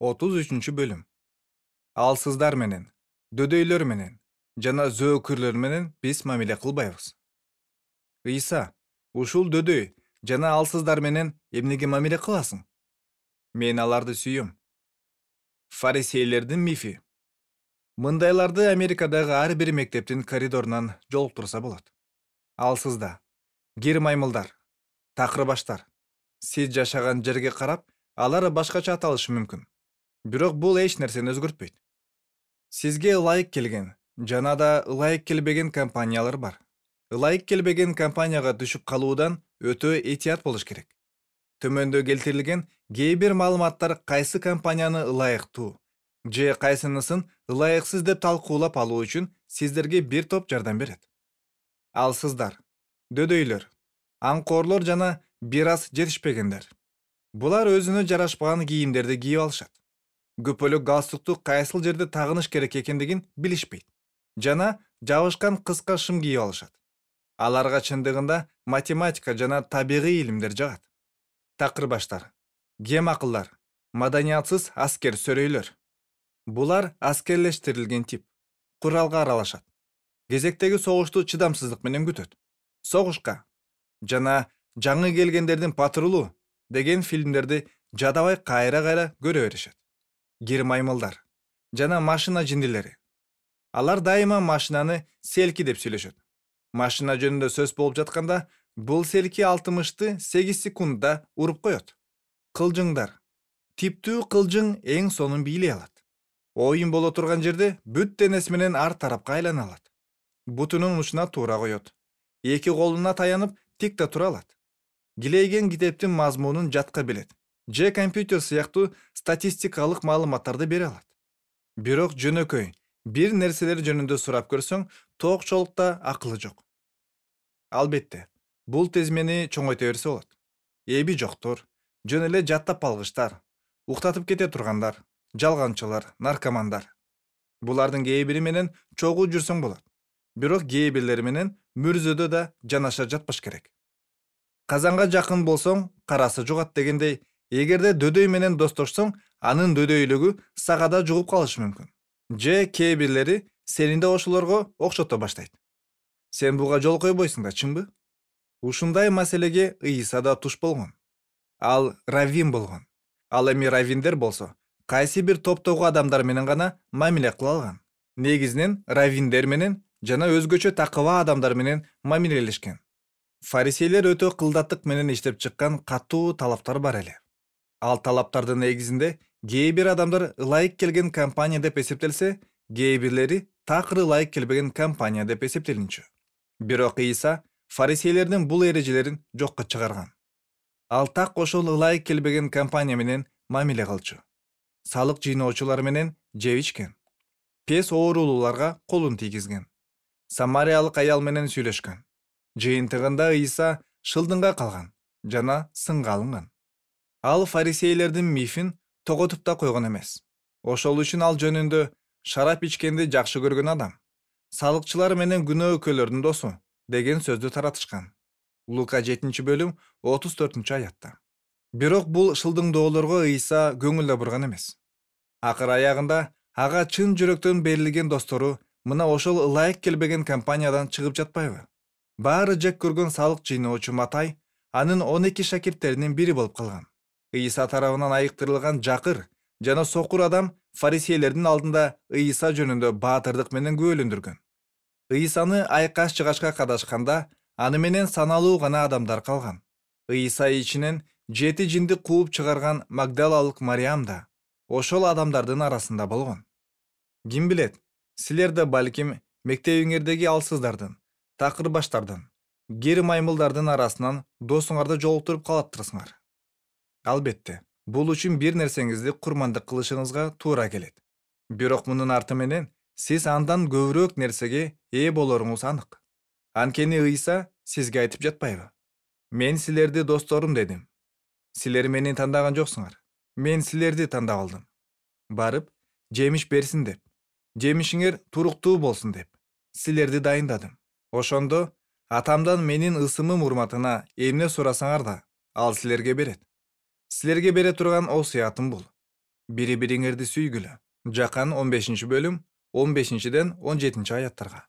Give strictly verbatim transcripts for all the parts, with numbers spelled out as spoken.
отуз үчүнчү бөлүм. Алсыздар менен, дөдөйлөр менен жана зөөкүрлөр менен биз мамиле кылбайбыз. Ыйса, ушул дөдөй жана алсыздар менен эмнеге мамиле кыласың? Мен аларды сүйөм. Фарисейлердин мифи. Мындайларды Америкадагы ар бир мектептин коридорунан жолуктурса болот. Алсызда кир маймылдар, такыр баштар. Сиз жашаган жерге карап, алар башкача аталышы мүмкүн. Бирок бул эч нерсени өзгөртпөйт. Сизге ылайык келген жана да ылайык келбеген компаниялар бар. Ылайык келбеген компанияга түшүп калуудан өтө этият болуш керек. Төмөндө келтирилген кээ бир маалыматтар кайсы компанияны ылайыктуу же кайсынысын ылайыксыз деп талкуулап алуу үчүн сиздерге бир топ жардам берет. Алсыздар, дөдөйлөр, аңкоорлор жана бир аз жетишпегендер. Булар өзүнө жарашпаган кийимдерди кийип алышат. Көпөлөк галстукту кайсыл жерде тагыныш керек экендигин билишпейт. Жана жабышкан кыска шым кийип алышат. Аларга чындыгында математика жана табигый илимдер жагат. Такыр баштар, кем акылдар, маданиятсыз аскер сөрөйлөр. Булар аскерлештирилген тип. Куралга аралашат. Кезектеги согушту чыдамсыздык менен күтөт. Согушка жана жаңы келгендердин патрулу деген фильмдерди жадабай кайра-кайра көрө беришет. Кир маймылдар жана машина жиндилери. Алар дайыма машинаны селки деп сүйлөшөт. Машина жөнүндө сөз болуп жатканда, бул селки алтымышты сегиз секундда уруп коет. Кылжыңдар. Типтүү кылжың эң сонун бийлей алат. Оюн боло турган жерде бүт денеси менен ар тарапка айлана алат. Бутунун учуна туура коет. Эки колуна таянып тик да тура алат. Килейген китептин мазмунун жатка билет. Же компьютер сыяктуу статистикалык маалыматтарды бере алат. Бирок жөнөкөй бир нерселер жөнүндө сурап көрсөң, тоокчолукта акылы жок. Албетте, бул тезмени чоңойто берсе болот. Эби жоктор, жөн эле жаттап алгычтар, уктатып кете тургандар, жалганчылар, наркомандар. Булардын кээ бири менен чогуу жүрсөң болот. Бирок кээ бирлери менен мүрзөдө да жанаша жатпаш керек. Казанга жакын болсоң, карасы жугат дегендей, эгерде дөдөй менен достошсоң, анын дөдөйлүгү сагада жугуп калышы мүмкүн. Же кээ бирлери сени да ошолорго окшото баштайт. Сен буга жол койбойсуң да, чынбы? Ушундай маселеге Ыйса да туш болгон. Ал раввин болгон. Ал эми раввиндер болсо, кайсы бир топтогу адамдар менен гана мамиле кыла алган. Негизинен раввиндер менен жана өзгөчө такыба адамдар менен мамилелешкен. Фарисейлер өтө кылдаттык менен иштеп чыккан катуу талаптар бар эле. Ал талаптардын негизинде кээ бир адамдар ылайык келген компания деп эсептелсе, кээ бирлери такыр ылайык келбеген компания деп эсептелинчү. Бирок Ыйса фарисейлердин бул эрежелерин жокко чыгарган. Ал так ошол ылайык келбеген компания менен мамиле кылчу. Салык жыйноочулар менен жеп ичкен. Пес оорулууларга колун тийгизген. Самариялык аял менен сүйлөшкөн. Жыйынтыгында Ыйса шылдыңга калган жана сынга алынган. Ал фарисейлердин мифин тоготуп да койгон эмес. Ошол үчүн ал жөнүндө шарап ичкенди жакшы көргөн адам, салыкчылар менен күнөөкөлөрдүн досу деген сөздү таратышкан. Лука жетинчи бөлүм отуз төртүнчү аятта. Бирок бул шылдыңдоолорго Ыйса көңүл да бурган эмес. Акыр аягында ага чын жүрөктөн берилген достору мына ошол ылайык келбеген компаниядан чыгып жатпайбы? Баары жек көргөн салык жыйноочу Матай анын он эки шакирттеринин бири болуп калган. Ыйса тарабынан айыктырылган жакыр жана сокур адам фарисейлердин алдында Ыйса жөнүндө баатырдык менен күбөлөндүргөн. Ыйсаны айкаш жыгачка кадашканда аны менен саналуу гана адамдар калган. Ыйса ичинен жети жинди кууп чыгарган Магдалалык Мариям да ошол адамдардын арасында болгон. Ким билет, силер да балким мектебиңердеги алсыздардын, такыр баштардын, кир маймылдардын арасынан досуңарды жолуктуруп калаттырсыңар. Албетте, бул үчүн бир нерсеңизди курмандык кылышыңызга туура келет. Бирок мунун арты менен сиз андан көбүрөөк нерсеге ээ болоруңуз анык. Анткени Ыйса сизге айтып жатпайбы? Мен силерди досторум дедим. Силер мени тандаган жоксуңар. Мен силерди тандап алдым. Барып, жемиш берсин деп, жемишиңер туруктуу болсун деп, силерди дайындадым. Ошондо атамдан менин ысымым урматына эмне сурасаңар да, ал силерге берет. Силерге бере турган осуятым бул. Бири бириңерди сүйгүлө. Жакан он бешинчи бөлүм он бешинчиден он жетинчи аяттарга.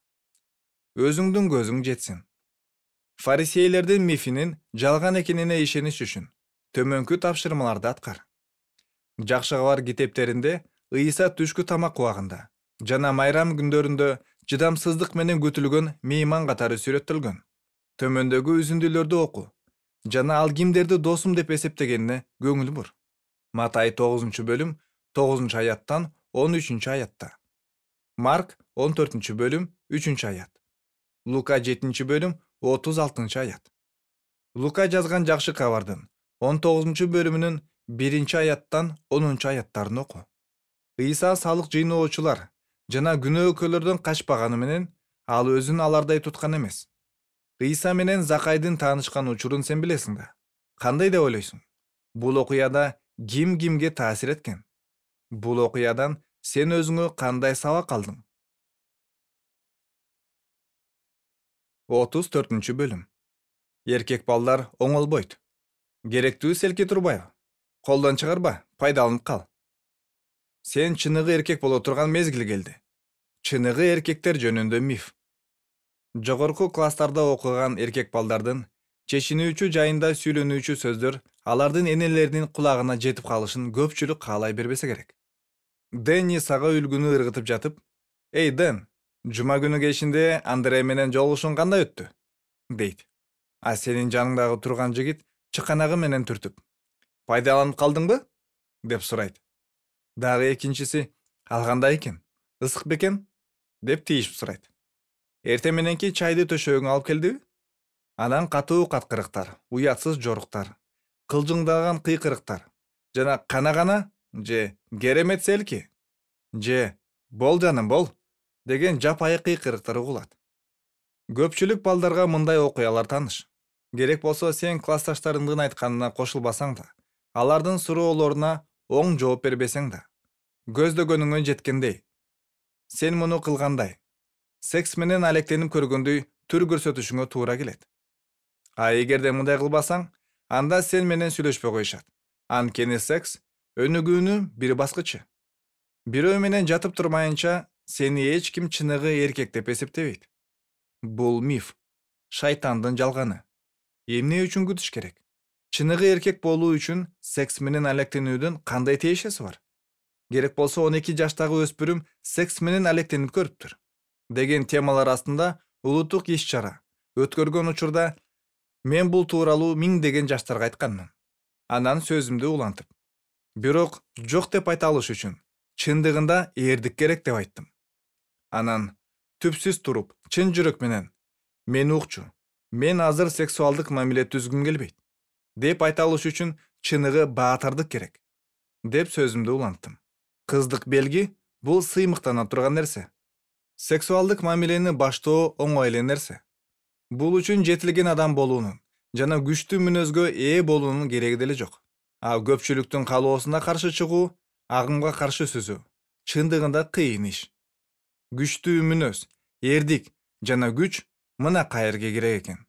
Өзүңдүн көзүң жетсин. Фарисейлердин мифинин жалган экенине ишениш үчүн төмөнкү тапшырмаларды аткар. Жакшы кабар китептеринде Ыйса түшкү тамак убагында жана майрам күндөрүндө чыдамсыздык менен күтүлгөн мейман катары сүрөттөлгөн. Төмөндөгү үзүндүлөрдү оку жана ал кимдерди досум деп эсептегенине көңүл бур. Матай тогузунчу бөлүм тогузунчу аяттан он үчүнчү аятта. Марк он төртүнчү бөлүм үчүнчү аят. Лука жетинчи бөлүм отуз алтынчы аят. Лука жазган жакшы кабардын он тогузунчу бөлүмүнүн биринчи аяттан онунчу аяттарын оку. Ыйса салык жыйноочулар жана күнөөкөрлөрдөн качпаганы менен ал өзүн алардай туткан эмес. Ыйса менен Закайдын таанышкан учурун сен билесиң да. Кандай деп ойлойсуң? Бул окуяда ким кимге таасир эткен? Бул окуядан сен өзүңө кандай сабак алдың? отуз төртүнчү бөлүм. Эркек балдар оңолбойт. Керектүү селки турбайбы? Колдон чыгарба, пайдаланып кал. Сен чыныгы эркек боло турган мезгил келди. Чыныгы эркектер жөнүндө миф. Жогорку класстарда окуган эркек балдардын чечинүүчү жайында сүйлөнүүчү сөздөр алардын энелеринин кулагына жетип калышын көпчүлүк каалай бербесе керек. Дэнни сага үлгүнү ыргытып жатып, «Эй, Дэн, жума күнү кечинде Андре менен жолугушуң кандай өттү?» дейт. А сенин жаныңдагы турган жигит чыканагы менен түртүп, «Пайдаланып калдыңбы?» деп сурайт. Дагы экинчиси, «Ал кандай экен? Ысык бекен?» деп тийишип сурайт. «Эртең мененки чайды төшөгүңө алып келдиби?» Анан катуу каткырыктар, уятсыз жоруктар, кылжыңдаган кыйкырыктар жана кана-кана же «Керемет селки» же «Бол жаным, бол» деген жапайы кыйкырыктар угулат. Көпчүлүк балдарга мындай окуялар тааныш. Керек болсо сен классташтарыңдын айтканына кошулбасаң да, алардын суроолоруна оң жооп бербесең да, көздөгөнүңө жеткендей, сен муну кылгандай, секс менен алектенип көргөндөй түр көрсөтүшүңө туура келет. А эгерде мындай кылбасаң, анда сен менен сүйлөшпөй коюшат. Анткени секс өнүгүүнүн бир баскычы. Бирөө менен жатып турмайынча сени эч ким чыныгы эркек деп эсептебейт. Бул миф, шайтандын жалганы. Эмне үчүн күтүш керек? Чыныгы эркек болуу үчүн секс менен алектенүүдүн кандай тиешеси бар? Керек болсо он эки жаштагы өспүрүм секс менен алектенип көрүптүр деген темалар астында улуттук иш-чара өткөргөн учурда мен бул тууралуу миңдеген жаштарга айтканмын. Анан сөзүмдү улантып, бирок жок деп айта алыш үчүн чындыгында эрдик керек деп айттым. Анан түпсүз туруп, чын жүрөк менен мен укчу, мен азыр сексуалдык мамиле түзгүм келбейт деп айта алыш үчүн чыныгы баатырдык керек деп сөзүмдү уланттым. Кыздык белги бул сыймыктана турган нерсе. Сексуалдык мамилени баштоо оңой эле нерсе. Бул үчүн жетилген адам болуунун жана күчтүү мүнөзгө ээ болуунун кереги деле жок. А көпчүлүктүн каалоосуна каршы чыгуу, агымга каршы сүзүү чындыгында кыйын иш. Күчтүү мүнөз, эрдик жана күч мына каерге керек экен.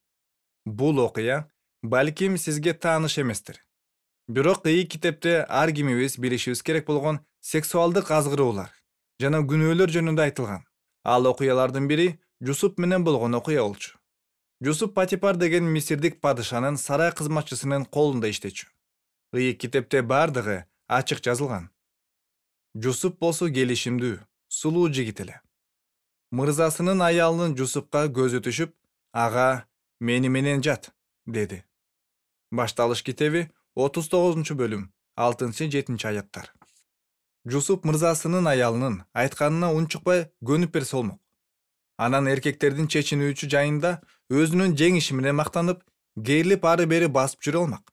Бул окуя балким сизге тааныш эместир. Бирок ый китепте ар кимибиз билишибиз керек болгон сексуалдык азгыроолор жана күнөөлөр жөнүндө айтылган. Ал окуялардын бири Жусуп менен болгон окуя болчу. Жусуп Патипар деген мисирдик падышанын сарай кызматчысынын колунда иштечү. Ый китепте бардыгы ачык жазылган. Жусуп болсо келишимдүү, сулуу жигит эле. Мырзасынын аялынын Жусупка көзү түшүп, ага мени менен жат, деди. Башталыш китеби отуз тогузунчу бөлүм алтынчы жетинчи аяттар. Жусуп мырзасынын аялынын айтканына унчукпай көнүп берсе болмок. Анан эркектердин чечинүүчү жайында өзүнүн жеңиши менен мактанып, керилип ары бери басып жүрө алмак.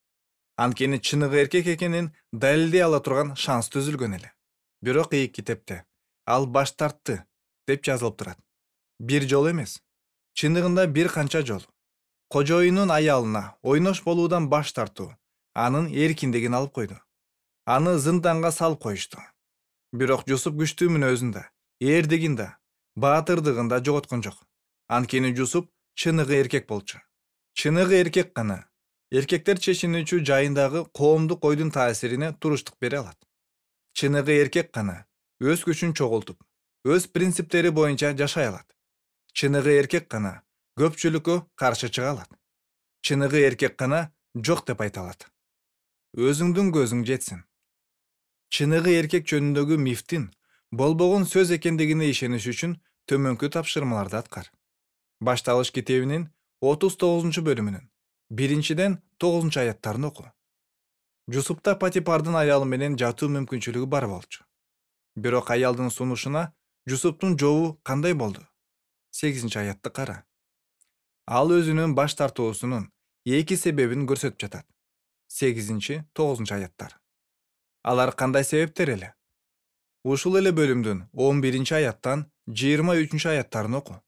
Анткени чыныгы эркек экенин далилдей ала турган шанс түзүлгөн эле. Бирок ый китепте ал баш тартты деп жазылып турат. Бир жол эмес, чындыгында бир канча жол. Кожоюнун аялына ойнош болуудан баш тартуу анын эркиндигин алып койду. Аны зынданга салып коюшту. Бирок Жусуп күчтүү мүнөзүн да, эрдигин да, баатырдыгын да жоготкон жок. Анткени Жусуп чыныгы эркек болчу. Чыныгы эркек гана эркектер чечинүүчү жайындагы коомдук ойдун таасирине туруштук бере алат. Чыныгы эркек гана өз күчүн чогултуп, өз принциптери боюнча жашай алат. Чыныгы эркек гана көпчүлүккө каршы чыга алат. Чыныгы эркек гана жок деп айта алат. Өзүңдүн көзүң жетсин. Чыныгы эркек жөнүндөгү мифтин болбогон сөз экендигине ишениш үчүн төмөнкү тапшырмаларды аткар. Башталыш китебинин отуз тогузунчу бөлүмүнүн биринчиден тогузунчу аяттарын оку. Жусупта Патипардын аялы менен жатуу мүмкүнчүлүгү бар болчу. Бирок аялдын сунушуна Жусуптун жообу кандай болду? сегизинчи аятты кара. Ал өзүнүн баш тартуусунун эки себебин көрсөтүп жатат. сегизинчи тогузунчу аяттар. Алар кандай себептер эле? Ушул эле бөлүмдүн он биринчи аяттан жыйырма үчүнчү аяттарын оку.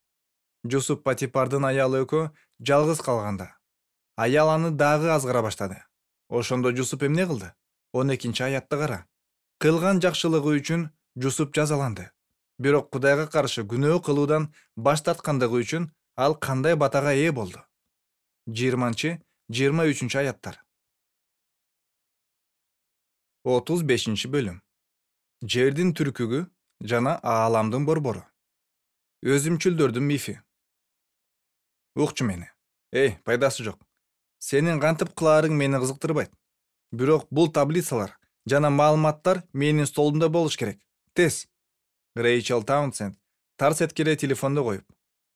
Жусуп Патипардын аялы экөө жалгыз калганда, аял аны дагы азгыра баштады. Ошондо Жусуп эмне кылды? он экинчи аятты кара. Кылган жакшылыгы үчүн Жусуп жазаланды. Бирок Кудайга каршы күнөө кылуудан баш тарткандыгы үчүн ал кандай батага ээ болду? жыйырманчы жыйырма үчүнчү аяттар. отуз бешинчи бөлүм. Жердин түркүгү жана ааламдын борбору. Өзүмчүлдөрдүн мифи. Укчу мени. Эй, пайдасы жок. Сенин кантип кылаарың мени кызыктырбайт. Бирок бул таблицалар жана маалыматтар менин столумда болуш керек. Тез. Рейчел Таунсенд тарс эткеле телефонду коюп,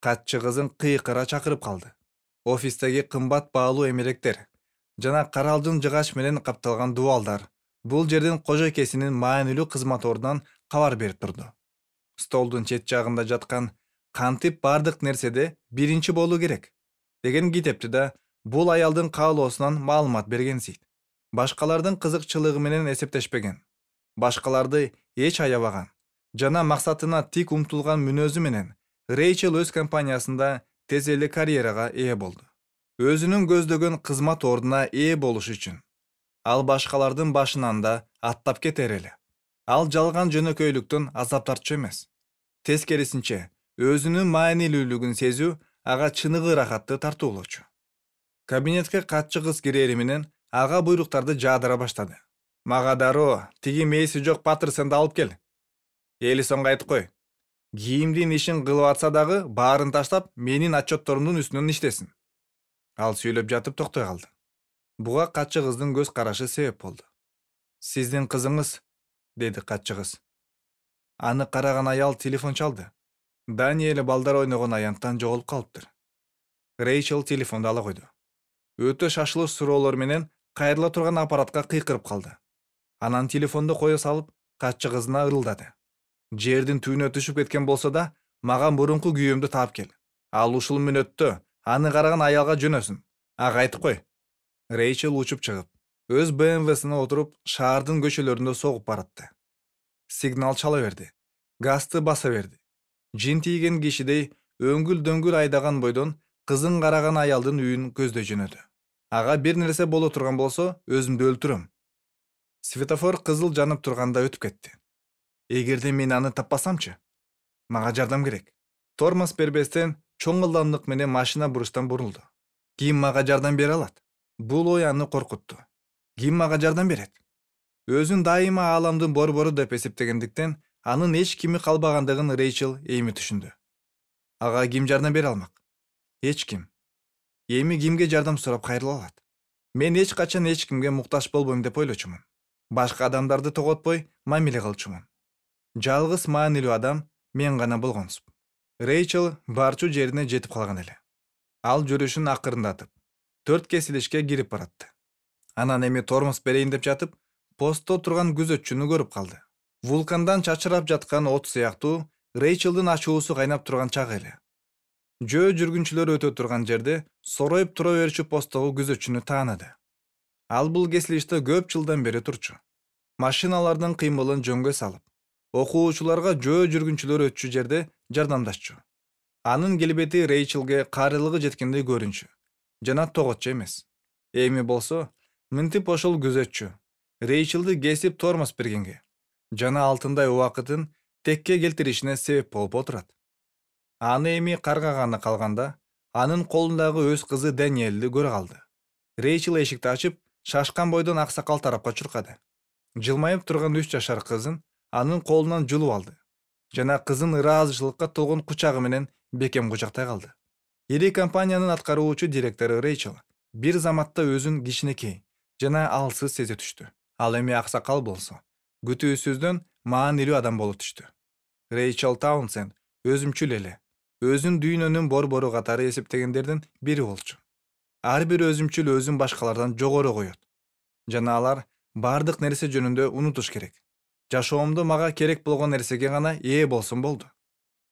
катчы кызын кыйкыра чакырып калды. Офистеги кымбат баалуу эмеректер жана каралдын жыгач менен капталган дубалдар бул жердин кожойкесинин маанилүү кызматорунан кабар берип турду. Столдун чет жагында жаткан кантип бардык нерседе биринчи болуу керек деген китепти да бул аялдын каалоосунан маалымат бергенсийт. Башкалардын кызыкчылыгы менен эсептешпеген, башкаларды эч аябаган жана максатына тик умтулган мүнөзү менен Рейчел өз компаниясында тез эле карьерага ээ болду. Өзүнүн көздөгөн кызмат ордуна ээ болуш үчүн ал башкалардын башынан да аттап кетер эле. Ал жалган жөнөкөйлүктөн азап тартчу эмес. Тескерисинче, өзүнүн маанилүүлүгүн сезүү ага чыныгы ырахатты тартуулочу. Кабинетке катчы кыз кирери менен ага буйруктарды жаадыра баштады. Мага дароо тиги мээси жок Паттерсонду алып кел. Элисонго айтып кой. Кийимдин ишин кылып атса дагы баарын таштап менин отчетторумдун үстүнөн иштесин. Ал сүйлөп жатып токтой калды. Буга катчы кыздын көз карашы себеп болду. Сиздин кызыңыз, деди катчы кыз. Аны караган аял телефон чалды. Даниэль балдар ойногон аянттан жоголуп калыптыр. Рейчел телефонду ала койду. Өтө шашылыш суроолор менен кайрыла турган аппаратка кыйкырып калды. Анан телефонду кое салып, катчы кызына ырылдады. Жердин түбүнө түшүп кеткен болсо да, мага мурунку күйөөмдү таап кел. Ал ушул мүнөттө аны караган аялга жөнөсүн. Ага айтып кой. Рейчел учуп чыгып, өз бэ эм вэсине отуруп, шаардын көчөлөрүндө согуп баратты. Сигнал чала берди. Газды баса берди. Жин тийген кишидей өңгүл-дөңгүл айдаган бойдон кызын караган аялдын үйүн көздөй жөнөдү. Ага бир нерсе боло турган болсо, өзүмдү өлтүрөм. Светофор кызыл жанып турганда өтүп кетти. Эгерде мен аны таппасамчы? Мага жардам керек. Тормоз бербестен чоң ылдамдык менен машина буруштан бурулду. Ким мага жардам бере алат? Бул ой аны коркутту. Ким мага жардам берет? Өзүн дайыма ааламдын борбору деп эсептегендиктен анын эч кими калбагандыгын Рейчел эми түшүндү. Ага ким жардам бере алмак? Эч ким. Эми кимге жардам сурап кайрыла алат? Мен эч качан эч кимге муктаж болбойм деп ойлочумун. Башка адамдарды тоготпой мамиле кылчумун. Жалгыз маанилүү адам мен гана болгонсуп. Рейчел барчу жерине жетип калган эле. Ал жүрүшүн акырындатып, төрт кесилишке кирип баратты. Анан эми тормоз берейин деп жатып, постто турган күзөтчүнү көрүп калды. Вулкандан чачырап жаткан от сыяктуу Рейчелдин ачуусу кайнап турган чагы эле. Жөө жүргүнчүлөр өтө турган жерде сороюп тура берчү посттогу күзөтчүнү таанады. Ал бул кесилиште көп жылдан бери турчу. Машиналардын кыймылын жөнгө салып, окуучуларга жөө жүргүнчүлөр өтчү жерде жардамдашчу. Анын келбети Рейчелге карылыгы жеткендей көрүнчү, жана тоготчу эмес. Эми болсо, мынтип ошол күзөтчү Рейчелди кесип тормоз бергенге жана алтындай убакытын текке келтиришине себеп болуп отурат. Аны эми каргаганы калганда, анын колундагы өз кызы Даниэльди көрө калды. Рейчел эшикти ачып, шашкан бойдон аксакал тарапка чуркады. Жылмайып турган үч жашар кызын анын колунан жулуп алды жана кызын ыраазычылыкка толгон кучагы менен бекем кучактай калды. Ири компаниянын аткаруучу директору Рейчел бир заматта өзүн кичинекей жана алсыз сезе түштү. Ал эми аксакал болсо, күтүүсүздөн маанилүү адам болуп түштү. Рейчел Таунсенд өзүмчүл эле, өзүн дүйнөнүн борбору катары эсептегендердин бири болчу. Ар бир өзүмчүл өзүн башкалардан жогору коет. Жана алар бардык нерсе жөнүндө унутуш керек. Жашоомдо мага керек болгон нерсеге гана ээ болсун болду.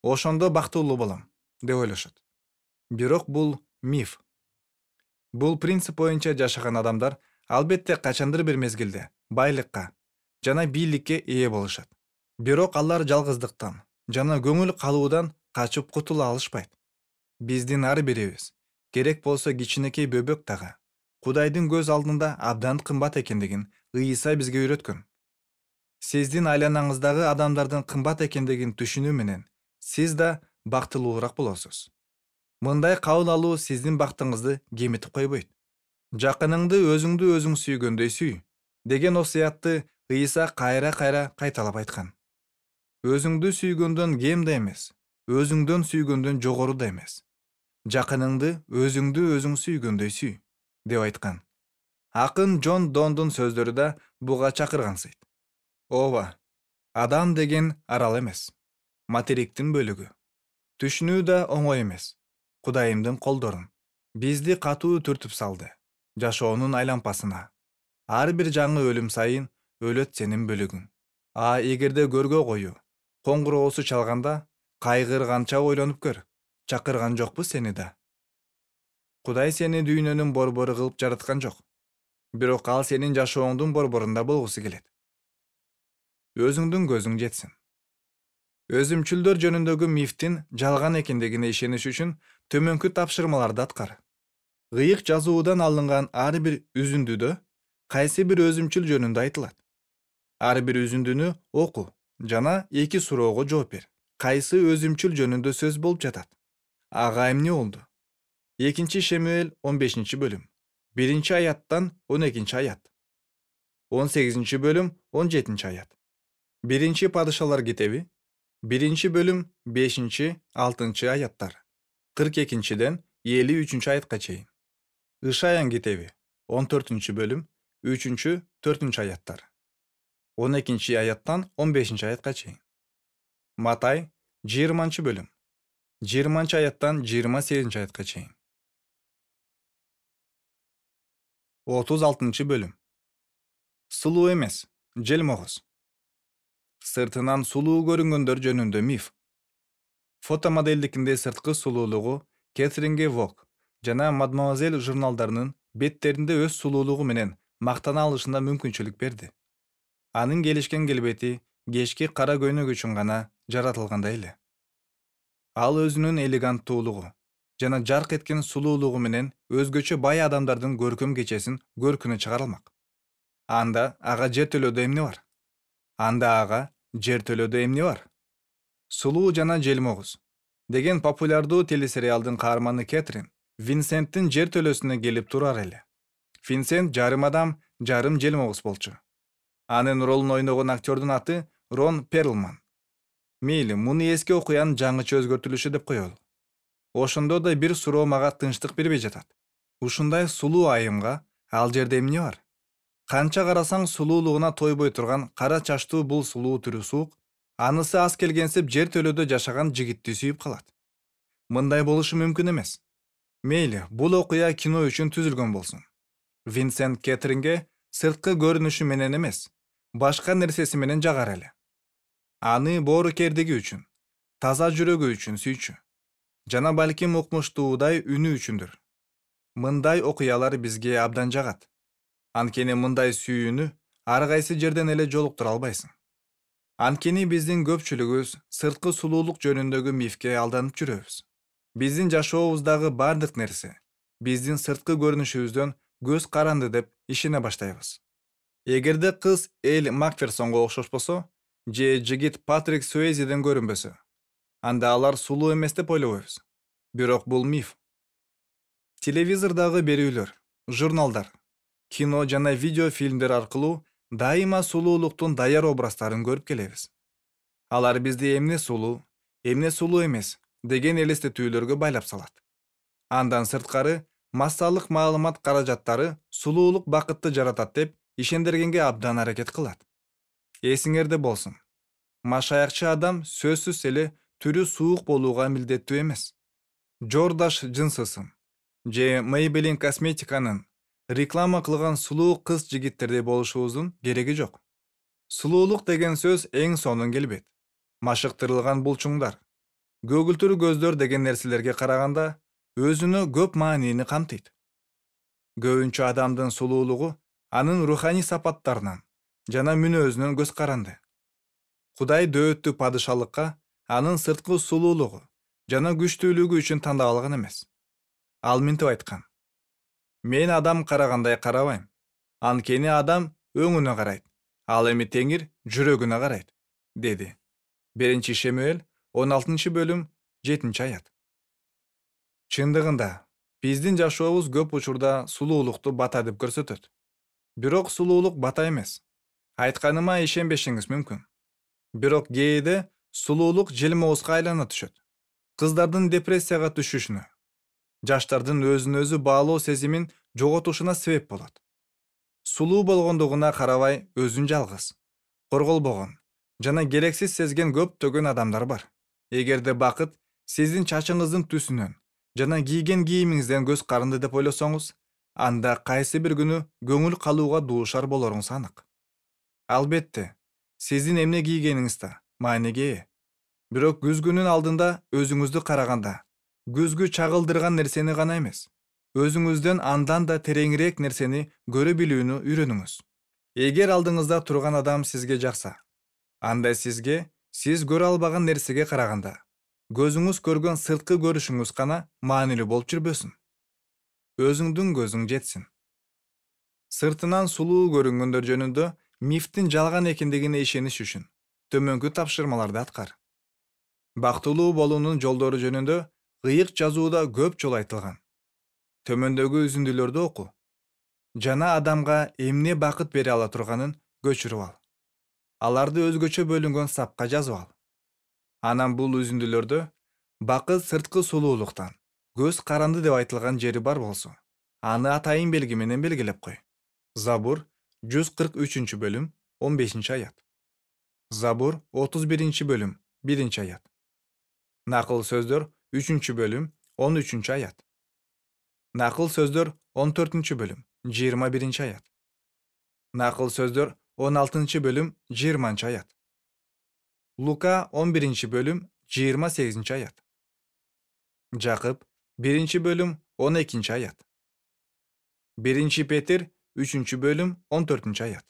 Ошондо бактылуу болом, деп ойлошот. Бирок бул миф. Бул принцип боюнча жашаган адамдар албетте качандыр бир мезгилде байлыкка жана бийликке ээ болушат. Бирок алар жалгыздыктан жана көңүл калуудан качып кутула алышпайт. Биздин ар бирибиз керек болсо кичинекей бөбөк дагы Кудайдын көз алдында абдан кымбат экендигин Ыйса бизге үйрөткөн. Сиздин айланаңыздагы адамдардын кымбат экендигин түшүнүү менен сиз да бактылуураак болосуз. Мындай кабыл алуу сиздин бактыңызды кемитип койбойт. Жакыныңды өзүңдү өзүң сүйгөндөй сүй деген осуятты Ыйса кайра-кайра кайталап айткан. Өзүңдү сүйгөндөн кем да эмес, өзүңдөн сүйгөндөн жогору да эмес. Жакыныңды өзүңдү өзүң сүйгөндөй сүй деп айткан. Акын Джон Дондун сөздөрү да буга чакыргансыйт. Ооба, адам деген арал эмес, материктин бөлүгү. Түшүнүү да оңой эмес. Кудайымдын колдорун бизди катуу түртүп салды. Жашоонун айлампасына. Ар бир жаңы өлүм сайын өлөт сенин бөлүгүң. А эгерде көргө кою, коңгуроосу чалганда, кайгырганча ойлонуп көр. Чакырган жокпу сени да. Кудай сени дүйнөнүн борбору кылып жараткан жок. Бирок ал сенин жашооңдун борборунда болгусу келет. Өзүңдүн көзүң жетсин. Өзүмчүлдөр жөнүндөгү мифтин жалган экендигине ишениш үчүн төмөнкү тапшырмаларды аткар. Ыйык жазуудан алынган ар бир үзүндүдө кайсы бир өзүмчүл жөнүндө айтылат. Ар бир үзүндүнү оку жана эки суроого жооп бер. Кайсы өзүмчүл жөнүндө сөз болуп жатат? Ага эмне болду? экинчи Шемуэль он бешинчи бөлүм. биринчи аяттан он экинчи аят. он сегизинчи бөлүм он жетинчи аят. биринчи Падышалар китеби биринчи бөлүм бешинчи алтынчы аяттар. кырк экинчиден элүү үчүнчү аятка чейин. Ышаян китеби он төртүнчү бөлүм үчүнчү төртүнчү аяттар. он экинчи аяттан он бешинчи аятка чейин. Матай жыйырманчы бөлүм жыйырманчы аяттан жыйырма сегизинчи аятка чейин. отуз алтынчы бөлүм. Сулуу эмес, желмогуз. Сыртынан сулуу көрүнгөндөр жөнүндө миф. Фотомоделдикинде сырткы сулуулугу Кэтринге Вог жана Мадемуазель журналдарынын беттеринде өз сулуулугу менен мактана алышына мүмкүнчүлүк берди. Анын келишкен келбети кечки кара көйнөк үчүн гана жаратылгандай эле. Ал өзүнүн элеганттуулугу жана жарк эткен сулуулугу менен өзгөчө бай адамдардын көркөм кечесин көркүнө чыгара алмак. Анда ага жер төлөдө эмне бар? Анда ага жер төлөдө эмне бар? Сулуу жана желмогуз деген популярдуу телесериалдын каарманы Кэтрин Винсенттин жер төлөсүнө келип турар эле. Винсент жарым адам, жарым желмогуз болчу. Анын ролун ойногон актёрдун аты Рон Перлман. Мейли, муну эски окуянын жаңыча өзгөртүлүшү деп коелу. Ошондо да бир суроо мага тынчтык бербей жатат. Ушундай сулуу айымга ал жерде эмне бар? Канча карасаң сулуулугуна тойбой турган кара чачтуу бул сулуу түрү суук, анысы аз келгенсип жер төлөдө жашаган жигитти сүйүп калат. Мындай болушу мүмкүн эмес. Мейли, бул окуя кино үчүн түзүлгөн болсун. Винсент Кэтринге сырткы көрүнүшү менен эмес, башка нерсеси менен жагар эле. Аны боорукердиги үчүн, таза жүрөгү үчүн сүйчү. Жана балким укмуштуудай үнү үчүндүр. Мындай окуялар бизге абдан жагат. Анткени мындай сүйүүнү ар кайсы жерден эле жолуктура албайсың. Анткени биздин көпчүлүгүбүз сырткы сулуулук жөнүндөгү мифке алданып жүрөбүз. Биздин жашообуздагы бардык нерсе биздин сырткы көрүнүшүбүздөн көз каранды деп ишене баштайбыз. Эгерде кыз Эль Макферсонго окшошпосо, же жигит Патрик Суэйзиден көрүнбөсө, анда алар сулуу эмес деп ойлобойбуз. Бирок бул миф. Телевизордагы берүүлөр, журналдар, кино жана видео фильмдер аркылуу дайыма сулуулуктун даяр образтарын көрүп келебиз. Алар бизди эмне сулуу, эмне сулуу эмес деген элестетүүлөргө байлап салат. Андан сырткары, массалык маалымат каражаттары сулуулук бакытты жаратат деп ишендиргенге абдан аракет кылат. Эсиңерде болсун. Машаякчы адам сөзсүз эле түрү суук болууга милдеттүү эмес. Жордаш Джинсысын же Maybelline косметиканын реклама кылган сулуу кыз жигиттердей болушубуздун кереги жок. Сулуулук деген сөз эң сонун келбет, машыктырылган булчуңдар, көгүлтүр көздөр деген нерселерге караганда өзүнө көп маанини камтыйт. Көбүнчө адамдын сулуулугу анын руханий сапаттарынан жана мүнөзүнөн көз каранды. Кудай дөөттү падышалыкка анын сырткы сулуулугу жана күчтүүлүгү үчүн тандап алган эмес. Ал мынтип айткан: мен адам карагандай карабайм. Анткени адам өңүнө карайт, ал эми Теңир жүрөгүнө карайт, деди. Биринчи Шемуэль он алтынчы бөлүм жетинчи аят. Чындыгында, биздин жашообуз көп учурда сулуулукту бата деп көрсөтөт. Бирок сулуулук бата эмес. Айтканыма ишенбешиңиз мүмкүн. Бирок кээде сулуулук желмоозга айлана түшөт. Кыздардын депрессияга түшүшүнө, жаштардын өзүн өзү баалоо сезимин жоготушуна себеп болот. Сулуу болгондугуна карабай өзүн жалгыз, корголбогон жана керексиз сезген көптөгөн адамдар бар. Эгерде бакыт сиздин чачыңыздын түсүнөн жана кийген кийимиңизден көз каранды деп ойлосоңуз, анда кайсы бир күнү көңүл калууга дуушар болоруңуз анык. Албетте, сиздин эмне кийгениңиз да мааниге ээ. Бирок күзгүнүн алдында өзүңүздү караганда, күзгү чагылдырган нерсени гана эмес, өзүңүздөн андан да тереңирээк нерсени көрө билүүнү үйрөнүңүз. Эгер алдыңызда турган адам сизге жакса, анда сизге сиз көрө албаган нерсеге караганда, көзүңүз көргөн сырткы көрүшүңүз гана маанилүү болуп жүрбөсүн. Өзүңдүн көзүң жетсин. Сыртынан сулуу көрүнгөндөр жөнүндө мифтин жалган экендигине ишениш үчүн төмөнкү тапшырмаларды аткар. Бактылуу болуунун жолдору жөнүндө ыйык жазууда көп жолу айтылган. Төмөндөгү үзүндүлөрдү оку жана адамга эмне бакыт бере ала турганын көчүрүп ал. Аларды өзгөчө бөлүнгөн сапка жазып ал. Анан бул үзүндүлөрдө бакыт сырткы сулуулуктан көз каранды деп айтылган жери бар болсо, аны атайын белги менен белгилеп кой. Забур жүз кырк үчүнчү бөлүм он бешинчи аят. Забур отуз биринчи бөлүм биринчи аят. Накыл сөздөр үчүнчү бөлүм он үчүнчү аят. Накыл сөздөр он төртүнчү бөлүм жыйырма биринчи аят. Накыл сөздөр он алтынчы бөлүм жыйырманчы аят. Лука он биринчи бөлүм жыйырма сегизинчи аят. Жакып биринчи бөлүм он экинчи аят. Биринчи Петир үчүнчү бөлүм он төртүнчү аят.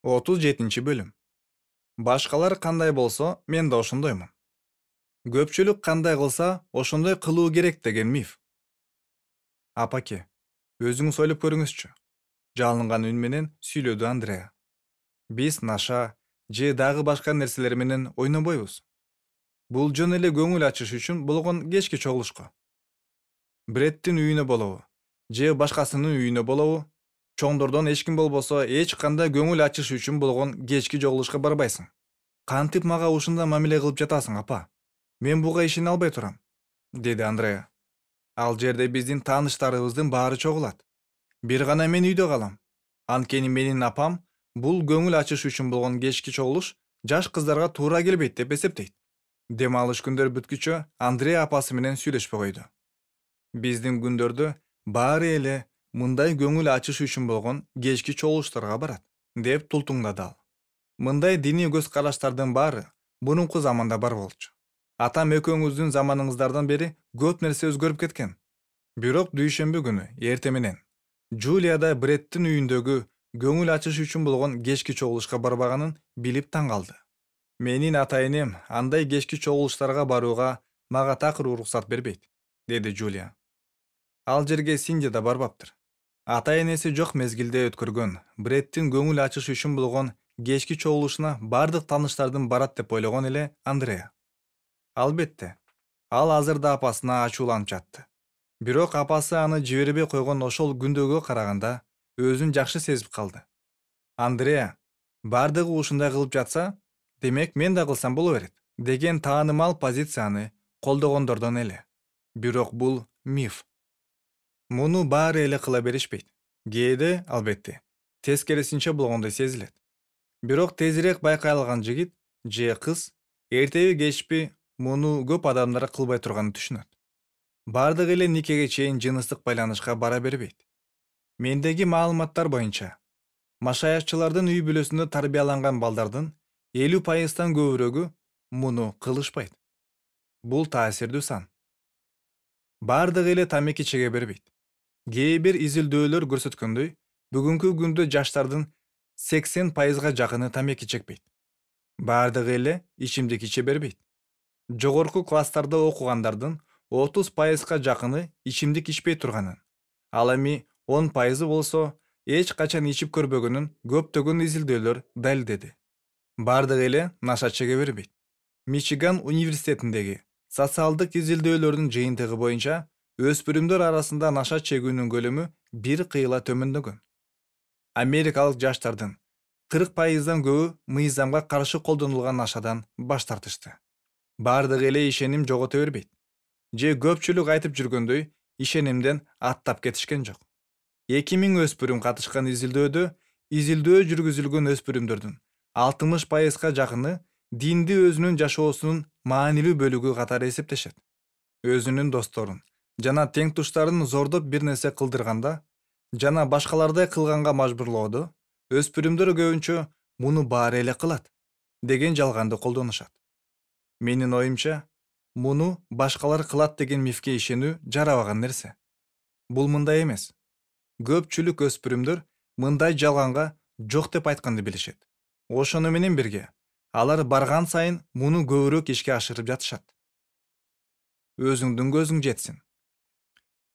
отуз жетинчи бөлүм. Башкалар кандай болсо, мен да ошондоймун. Көпчүлүк кандай кылса, ошондой кылуу керек деген миф. Апаке, өзүңүз ойлоп көрүңүзчү. Жалынган үн менен сүйлөдү Андреа. Биз наша же дагы башка нерселер менен ойнобойбуз. Бул жөн эле көңүл ачыш үчүн болгон кечки чогулушко. Бреттин үйүнө болобу, же башкасынын үйүнө болобу, чоңдордон эч ким болбосо эч кандай көңүл ачыш үчүн болгон кечки чогулушка барбайсың. Кантип мага ушундай мамиле кылып жатасың, апа? Мен буга ишене албай турам, деди Андреа. Ал жерде биздин тааныштарыбыздын баары чогулат. Бир гана мен үйдө калам. Анткени менин апам бул көңүл ачыш үчүн болгон кечки чогулуш жаш кыздарга туура келбейт деп эсептейт. Дем алыш күндөр бүткүчө Андреа апасы менен сүйлөшпөй койду. Биздин күндөрдө баары эле мындай көңүл ачыш үчүн болгон кечки чогулуштарга барат, деп тултуңдады ал. Мындай диний көз караштардын баары мурунку заманда бар болчу. Атам экөөңүздүн заманыңыздардан бери көп нерсе өзгөрүп кеткен. Бирок дүйшөмбү күнү эрте менен Джулияда Бреттин үйүндөгү көңүл ачыш үчүн болгон кечки чогулушка барбаганын билип таң калды. Менин атайынем андай кечки чогулуштарга барууга мага такыр уруксат бербейт, деди Джулия. Ал жерге Синди да барбаптыр. Ата-энеси жок мезгилде өткөргөн Бреттин көңүл ачыш үчүн болгон кечки чогулушуна бардык тааныштардын барат деп ойлогон эле Андреа. Албетте, ал азыр да апасына ачууланып жатты. Бирок апасы аны жибербей койгон ошол күндөгүгө караганда өзүн жакшы сезип калды. Андреа бардыгы ушундай кылып жатса, демек мен да кылсам боло берет деген таанымал позицияны колдогондордон эле. Бирок бул миф. Муну баары эле кыла беришпейт. Кээде, албетте, тескерисинче болгондой сезилет. Бирок тезирээк байкай алган жигит же кыз эртеби кечпи муну көп адамдар кылбай турганын түшүнөт. Бардыгы эле никеге чейин жыныстык байланышка бара бербейт. Мендеги маалыматтар боюнча, машаятчылардын үй бүлөсүндө тарбияланган балдардын элүү пайыздан көбүрөгү муну кылышпайт. Бул таасирдүү сан. Бардыгы эле тамеки чеге бербейт. Кээ бир изилдөөлөр көрсөткөндөй, бүгүнкү күндө жаштардын сексен пайызга жакыны тамеки чекпейт. Бардыгы эле ичимдик иче бербейт. Жогорку класстарда окугандардын отуз пайызга жакыны ичимдик ичпей турганын, ал эми он пайызы болсо эч качан ичип көрбөгөнүн көптөгөн изилдөөлөр далилдеди. Бардыгы эле наша чеге бербейт. Мичиган университетиндеги социалдык изилдөөлөрдүн жыйынтыгы боюнча өспүрүмдөр арасында наша чегүүнүн көлөмү бир кыйла төмөндөгөн. Америкалык жаштардын кырк пайыздан көбү мыйзамга каршы колдонулган нашадан баш тартышты. Бардыгы эле ишеним жогото бербейт. Же көпчүлүк айтып жүргөндөй, ишенимден аттап кетишкен жок. эки миң өспүрүм катышкан изилдөөдө изилдөө жүргүзүлгөн өспүрүмдөрдүн алтымыш пайызга жакыны динди өзүнүн жашоосунун маанилүү бөлүгү катары эсептешет. Өзүнүн досторун жана тең туштарын зордоп бир нерсе кылдырганда жана башкалардай кылганга мажбурлоодо өспүрүмдөр көбүнчө муну баары эле кылат деген жалганды колдонушат. Менин оюмча, муну башкалар кылат деген мифке ишенүү жарабаган нерсе. Бул мындай эмес. Көпчүлүк өспүрүмдөр мындай жалганга жок деп айтканды билишет. Ошону менен бирге, алар барган сайын муну көбүрөөк ишке ашырып жатышат. Өзүңдүн көзүң жетсин.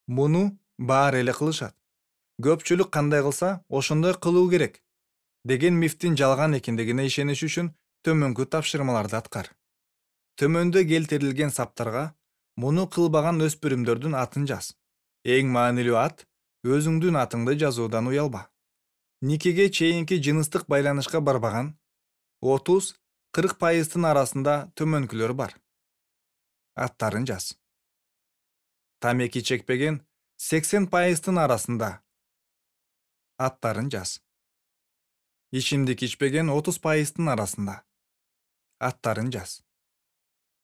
Муну баары эле кылышат. Көпчүлүк кандай кылса, ошондой кылуу керек деген мифтин жалган экендигине ишениш үчүн төмөнкү тапшырмаларды аткар. Төмөндө келтирилген саптарга муну кылбаган өспүрүмдөрдүн атын жаз. Эң маанилүү ат өзүңдүн атыңды жазуудан уялба. Никеге чейинки жыныстык байланышка барбаган отуз кырк пайыздын арасында төмөнкүлөр бар. Аттарын жаз. Тамеки чекпеген сексен пайыздын арасында. Аттарын жаз. Ичимдик ичпеген отуз пайыздын арасында. Аттарын жаз.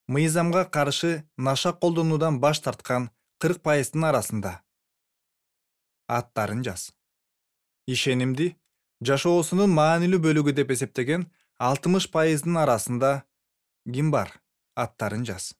Мыйзамга каршы наша колдонуудан баш тарткан кырк пайыздын арасында. Аттарын жаз. Ишенимди жашоосунун маанилүү бөлүгү деп эсептеген алтымыш пайыздын арасында ким бар? Аттарын жаз.